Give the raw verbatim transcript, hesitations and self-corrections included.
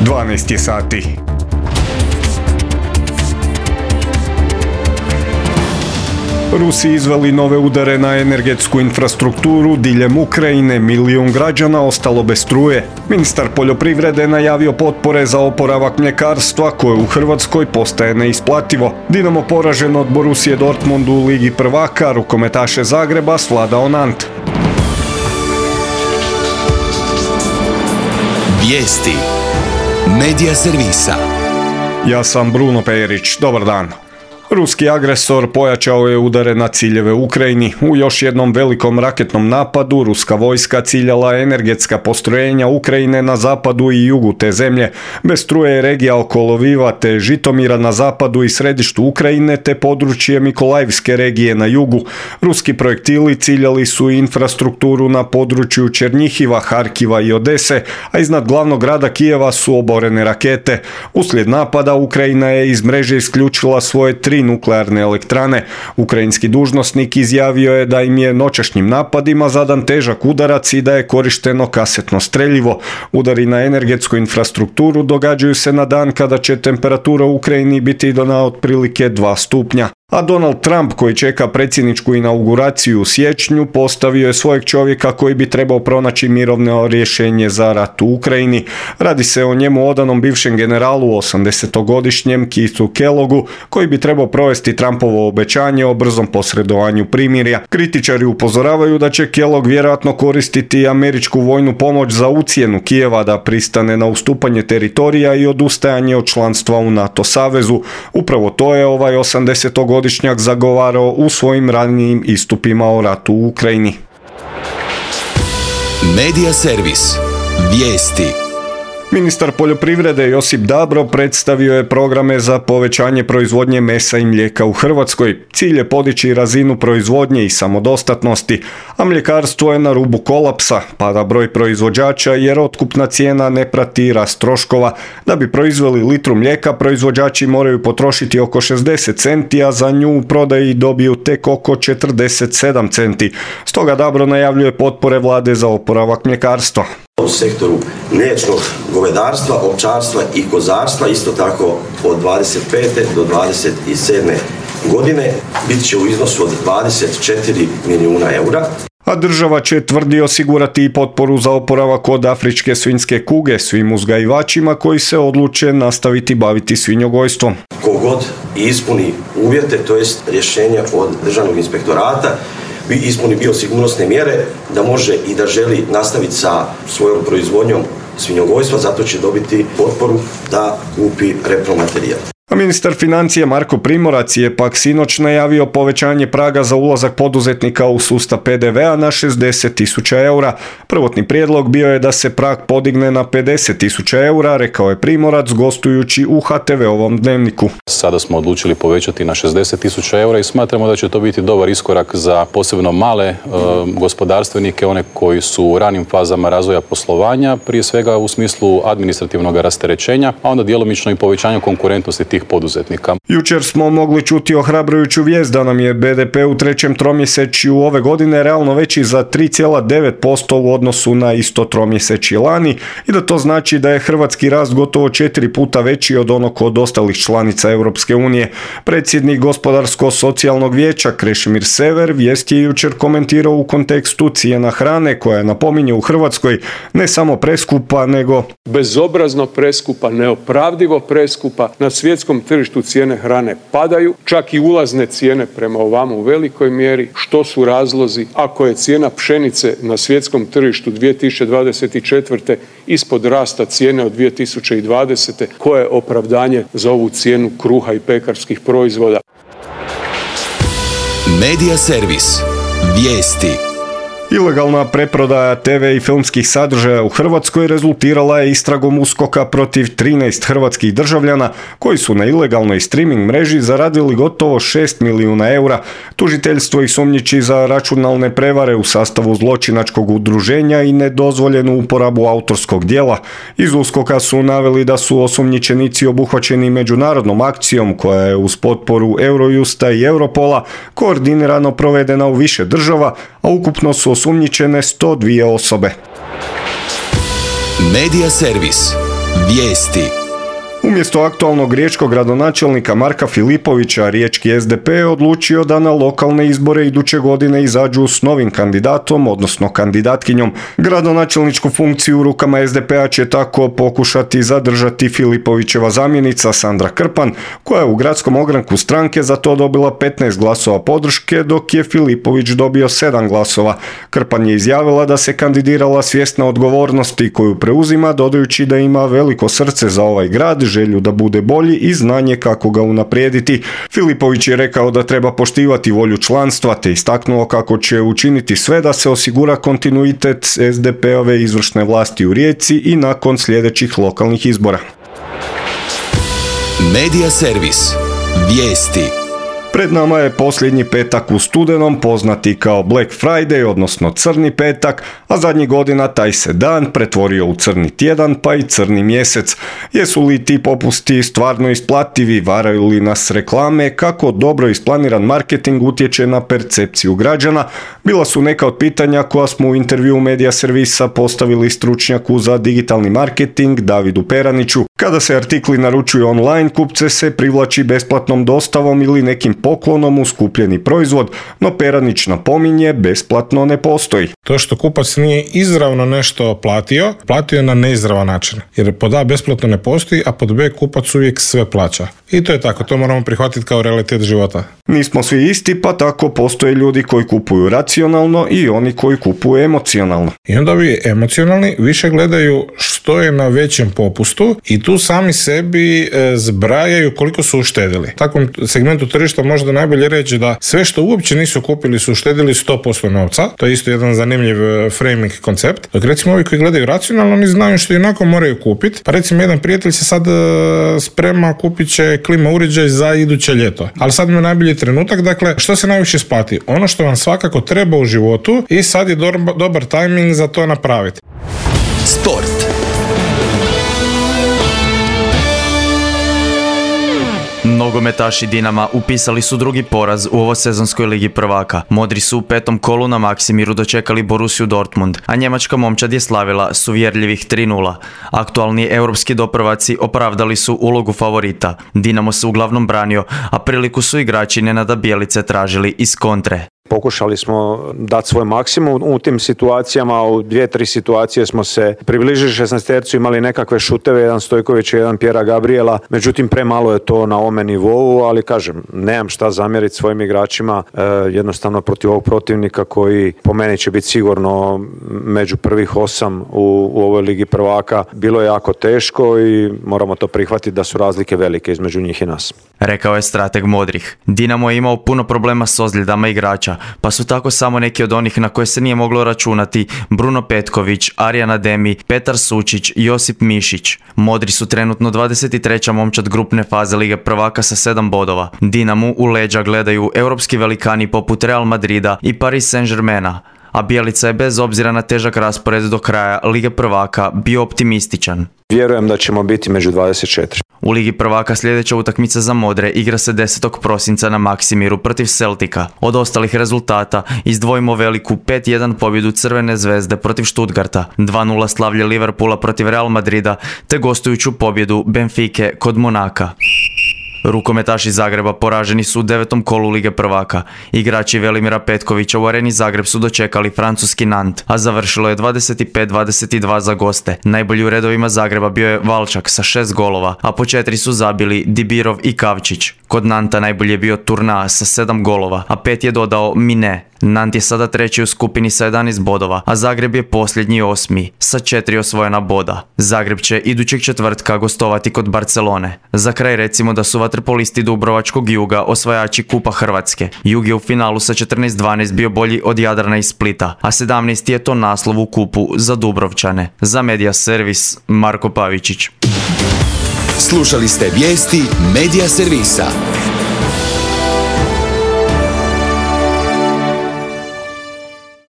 dvanaest je sati. Rusi izveli nove udare na energetsku infrastrukturu diljem Ukrajine, milijun građana ostalo bez struje. Ministar poljoprivrede najavio potpore za oporavak mljekarstva koje u Hrvatskoj postaje neisplativo. Dinamo poražen od Borussije Dortmund u Ligi prvaka, rukometaše Zagreba svladao Nant. Vijesti Medija servisa. Ja sam Bruno Perić, dobar dan. Ruski agresor pojačao je udare na ciljeve u Ukrajini. U još jednom velikom raketnom napadu ruska vojska ciljala energetska postrojenja Ukrajine na zapadu i jugu te zemlje. Bez struje je regija oko Loviva te Žitomira na zapadu i središtu Ukrajine te područje Mikolajevske regije na jugu. Ruski projektili ciljali su infrastrukturu na području Černjihiva, Harkiva i Odese, a iznad glavnog grada Kijeva su oborene rakete. Uslijed napada Ukrajina je iz mreže isključila svoje tri nuklearne elektrane. Ukrajinski dužnosnik izjavio je da im je noćašnjim napadima zadan težak udarac i da je korišteno kasetno streljivo. Udari na energetsku infrastrukturu događaju se na dan kada će temperatura u Ukrajini biti na otprilike dva stupnja. A Donald Trump, koji čeka predsjedničku inauguraciju u siječnju, postavio je svojeg čovjeka koji bi trebao pronaći mirovno rješenje za rat u Ukrajini. Radi se o njemu odanom bivšem generalu, osamdesetogodišnjem Keithu Kellogu, koji bi trebao provesti Trumpovo obećanje o brzom posredovanju primirja. Kritičari upozoravaju da će Kellogg vjerojatno koristiti američku vojnu pomoć za ucjenu Kijeva da pristane na ustupanje teritorija i odustajanje od članstva u NATO savezu. Upravo to je ovaj osamdesetogodišnjak godišnjak zagovarao u svojim ranijim istupima o ratu u Ukrajini. Medija servis. Vijesti. Ministar poljoprivrede Josip Dabro predstavio je programe za povećanje proizvodnje mesa i mlijeka u Hrvatskoj. Cilj je podići razinu proizvodnje i samodostatnosti, a mljekarstvo je na rubu kolapsa, pada broj proizvođača jer otkupna cijena ne prati rast troškova. Da bi proizveli litru mlijeka, proizvođači moraju potrošiti oko šezdeset centi, a za nju u prodaji dobiju tek oko četrdeset sedam centi. Stoga Dabro najavljuje potpore vlade za oporavak mljekarstva. U sektoru mliječnog govedarstva, ovčarstva i kozarstva, isto tako od dvadeset pete do dvadeset sedme godine, bit će u iznosu od dvadeset četiri milijuna eura. A država će, tvrdi, osigurati i potporu za oporavak od afričke svinjske kuge svim uzgajivačima koji se odluče nastaviti baviti svinjogojstvom. Kogod ispuni uvjete, to jest rješenja od državnog inspektorata, bi ispuni biosigurnosne mjere da može i da želi nastaviti sa svojom proizvodnjom svinjogojstva, zato će dobiti potporu da kupi repromaterijal. A ministar financija Marko Primorac je pak sinoć najavio povećanje praga za ulazak poduzetnika u sustav pe de vea na šezdeset tisuća eura. Prvotni prijedlog bio je da se prag podigne na pedeset tisuća eura, rekao je Primorac gostujući u ha te ve-ovom dnevniku. Sada smo odlučili povećati na šezdeset tisuća eura i smatramo da će to biti dobar iskorak za posebno male e, gospodarstvenike, one koji su u ranim fazama razvoja poslovanja, prije svega u smislu administrativnog rasterećenja, a onda djelomično i povećanja konkurentnosti tih poduzetnika. Jučer smo mogli čuti ohrabrujuću vijest da nam je be de pe u trećem tromjesečju ove godine realno veći za tri zarez devet posto u odnosu na isto tromjesečje lani i da to znači da je hrvatski rast gotovo četiri puta veći od onog od ostalih članica Europske unije. Predsjednik Gospodarsko-socijalnog vijeća Krešimir Sever vijest je jučer komentirao u kontekstu cijena hrane koja je, napominje, u Hrvatskoj ne samo preskupa nego bezobrazno preskupa, neopravdivo preskupa. Na svjetskom tržištu cijene hrane padaju, čak i ulazne cijene prema ovamo u velikoj mjeri. Što su razlozi? Ako je cijena pšenice na svjetskom tržištu dvije tisuće dvadeset četvrte ispod rasta cijene od dvije tisuće dvadesete, koje je opravdanje za ovu cijenu kruha i pekarskih proizvoda? Medija servis. Vijesti. Ilegalna preprodaja te ve i filmskih sadržaja u Hrvatskoj rezultirala je istragom uskoka protiv trinaest hrvatskih državljana koji su na ilegalnoj streaming mreži zaradili gotovo šest milijuna eura. Tužiteljstvo ih sumnjiči za računalne prevare u sastavu zločinačkog udruženja i nedozvoljenu uporabu autorskog djela. Iz uskoka su naveli da su osumnjičenici obuhvaćeni međunarodnom akcijom koja je uz potporu Eurojusta i Europola koordinirano provedena u više država, a ukupno su osumnjičene sto dvije osobe. Medija servis. Vijesti. Umjesto aktualnog riječkog gradonačelnika Marka Filipovića, riječki es de pe je odlučio da na lokalne izbore iduće godine izađu s novim kandidatom, odnosno kandidatkinjom. Gradonačelničku funkciju u rukama es de pe-a će tako pokušati zadržati Filipovićeva zamjenica Sandra Krpan, koja je u gradskom ogranku stranke za to dobila petnaest glasova podrške, dok je Filipović dobio sedam glasova. Krpan je izjavila da se kandidirala svjesna odgovornosti koju preuzima, dodajući da ima veliko srce za ovaj grad, želju da bude bolji i znanje kako ga unaprijediti. Filipović je rekao da treba poštivati volju članstva, te istaknuo kako će učiniti sve da se osigura kontinuitet es de pe-ove izvršne vlasti u Rijeci i nakon sljedećih lokalnih izbora. Medija servis. Vijesti. Pred nama je posljednji petak u studenom, poznati kao Black Friday, odnosno crni petak, a zadnjih godina taj se dan pretvorio u crni tjedan, pa i crni mjesec. Jesu li ti popusti stvarno isplativi, varaju li nas reklame, kako dobro isplaniran marketing utječe na percepciju građana, bila su neka od pitanja koja smo u intervjuu Medija servisa postavili stručnjaku za digitalni marketing Davidu Peraniću. Kada se artikli naručuju online, kupce se privlači besplatnom dostavom ili nekim poklonom uz kupljeni proizvod, no Peranić napominje, besplatno ne postoji. To što kupac nije izravno nešto platio, platio je na neizravan način. Jer pod A besplatno ne postoji, a pod B kupac uvijek sve plaća. I to je tako, to moramo prihvatiti kao realitet života. Nismo svi isti, pa tako postoje ljudi koji kupuju racionalno i oni koji kupuju emocionalno. I onda ovi emocionalni više gledaju što je na većem popustu i tu sami sebi e, zbrajaju koliko su uštedili. U takvom segmentu tržišta možda najbolje reći da sve što uopće nisu kupili su uštedili sto posto novca. To je isto jedan zanimljiv framing koncept. Dok recimo ovi koji gledaju racionalno, oni znaju što inako moraju kupiti. Pa recimo jedan prijatelj se sad e, sprema, kupit će klima uređaj za iduće ljeto. Ali sad mi je najbolji trenutak, dakle, što se najviše isplati? Ono što vam svakako treba u životu i sad je dobar, dobar tajming za to napraviti. Sport. Nogometaši Dinama upisali su drugi poraz u ovosezonskoj ligi prvaka. Modri su u petom kolu na Maksimiru dočekali Borussiju Dortmund, a njemačka momčad je slavila s uvjerljivih tri nula. Aktualni europski doprvaci opravdali su ulogu favorita. Dinamo se uglavnom branio, a priliku su igrači Nenada Bjelice tražili iz kontre. Pokušali smo dati svoj maksimum u tim situacijama, u dvije, tri situacije smo se približili šesnaestercu, imali nekakve šuteve, jedan Stojković i jedan Pjera Gabriela, međutim premalo je to na ovome nivou, ali kažem, nemam šta zamjeriti svojim igračima, e, jednostavno protiv ovog protivnika koji po meni će biti sigurno među prvih osam u, u ovoj ligi prvaka. Bilo je jako teško i moramo to prihvatiti da su razlike velike između njih i nas. Rekao je strateg modrih. Dinamo je imao puno problema s ozljedama igrača, pa su tako samo neki od onih na koje se nije moglo računati Bruno Petković, Arjan Ademi, Petar Sučić, Josip Mišić. Modri su trenutno dvadeset treća momčad grupne faze Lige prvaka sa sedam bodova. Dinamu u leđa gledaju europski velikani poput Real Madrida i Paris Saint-Germaina, a Bjelica je bez obzira na težak raspored do kraja Lige prvaka bio optimističan. Vjerujem da ćemo biti među dvadeset četiri. U Ligi prvaka sljedeća utakmica za modre igra se desetog prosinca na Maksimiru protiv Celtica. Od ostalih rezultata izdvojimo veliku pet jedan pobjedu Crvene zvezde protiv Stuttgarta, dva nula slavlje Liverpoola protiv Real Madrida te gostujuću pobjedu Benfike kod Monaka. Rukometaši Zagreba poraženi su u devetom kolu Lige prvaka. Igrači Velimira Petkovića u Areni Zagreb su dočekali francuski Nant, a završilo je dvadeset pet dvadeset dva za goste. Najbolji u redovima Zagreba bio je Valčak sa šest golova, a po četiri su zabili Dibirov i Kavčić. Kod Nanta najbolji je bio Turna sa sedam golova, a pet je dodao Mine. Nant je sada treći u skupini sa jedanaest bodova, a Zagreb je posljednji osmi sa četiri osvojena boda. Zagreb će idućeg četvrtka gostovati kod Barcelone. Za kraj recimo da su vaterpolisti Dubrovačkog Juga osvajači Kupa Hrvatske. Jug je u finalu sa četrnaest dvanaest bio bolji od Jadrana i Splita, a sedamnaesti je to naslov u kupu za Dubrovčane. Za Medija servis Marko Pavičić. Slušali ste vijesti Medija servisa.